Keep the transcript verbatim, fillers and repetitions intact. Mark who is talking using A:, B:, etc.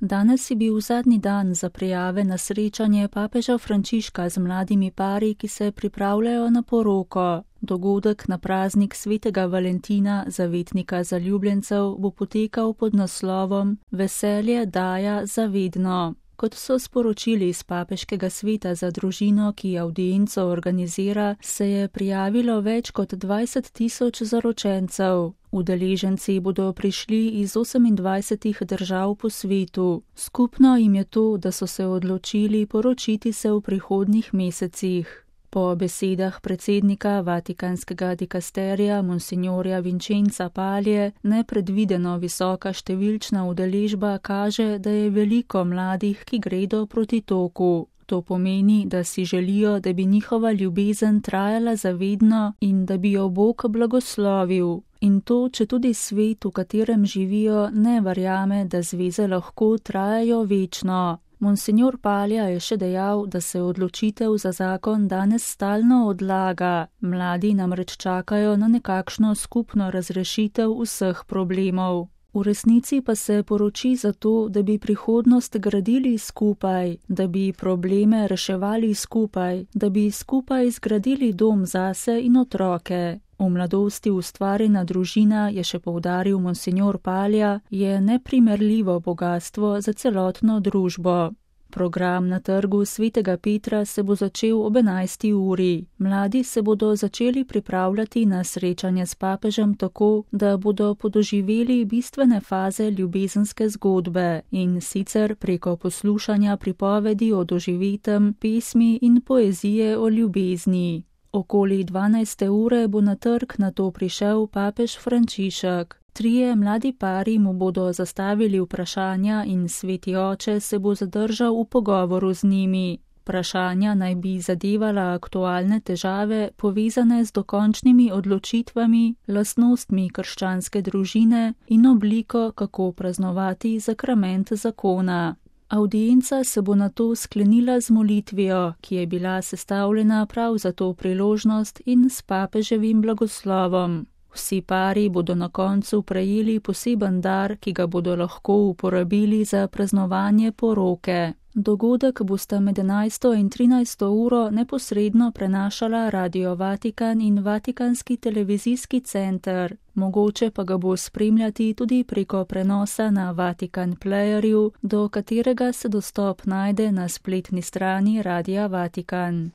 A: Danes je bil zadnji dan za prijave na srečanje papeža Frančiška z mladimi pari, ki se pripravljajo na poroko. Dogodek na praznik svetega Valentina, zavetnika zaljubljencev, bo potekal pod naslovom Veselje daja za vedno. Kot so sporočili iz Papeškega sveta za družino, ki avdienco organizira, se je prijavilo več kot dvajset tisoč zaročencev. Udeleženci bodo prišli iz osemindvajsetih držav po svetu. Skupno jim je to, da so se odločili poročiti se v prihodnjih mesecih. Po besedah predsednika Vatikanskega dikasterija monsignorja Vincenza Palje, nepredvideno visoka številčna udeležba kaže, da je veliko mladih, ki gredo proti toku. To pomeni, da si želijo, da bi njihova ljubezen trajala zavedno in da bi jo Bog blagoslovil. In to, če tudi svet, v katerem živijo, ne verjame, da zveze lahko trajajo večno. Monsignor Palja je še dejal, da se odločitev za zakon danes stalno odlaga. Mladi namreč čakajo na nekakšno skupno razrešitev vseh problemov. V resnici pa se poroči zato, da bi prihodnost gradili skupaj, da bi probleme reševali skupaj, da bi skupaj zgradili dom zase in otroke. V mladosti ustvarjena družina, je še poudaril monsignor Palja, je neprimerljivo bogastvo za celotno družbo. Program na trgu svetega Petra se bo začel ob enajsti uri. Mladi se bodo začeli pripravljati na srečanje s papežem tako, da bodo podoživeli bistvene faze ljubezenske zgodbe in sicer preko poslušanja pripovedi o doživetem, pesmi in poezije o ljubezni. Okoli dvanajste ure bo na trg nato prišel papež Frančišek. Trije mladi pari mu bodo zastavili vprašanja in sveti oče se bo zadržal v pogovoru z njimi. Vprašanja naj bi zadevala aktualne težave, povezane z dokončnimi odločitvami, lastnostmi krščanske družine in obliko, kako praznovati sakrament zakona. Avdienca se bo nato sklenila z molitvijo, ki je bila sestavljena prav za to priložnost in s papeževim blagoslovom. Vsi pari bodo na koncu prejeli poseben dar, ki ga bodo lahko uporabili za praznovanje poroke. Dogodek bosta med enajsto in trinajsto uro neposredno prenašala Radio Vatikan in Vatikanski televizijski center. Mogoče pa ga bo spremljati tudi preko prenosa na Vatikan Playerju, do katerega se dostop najde na spletni strani Radia Vatikan.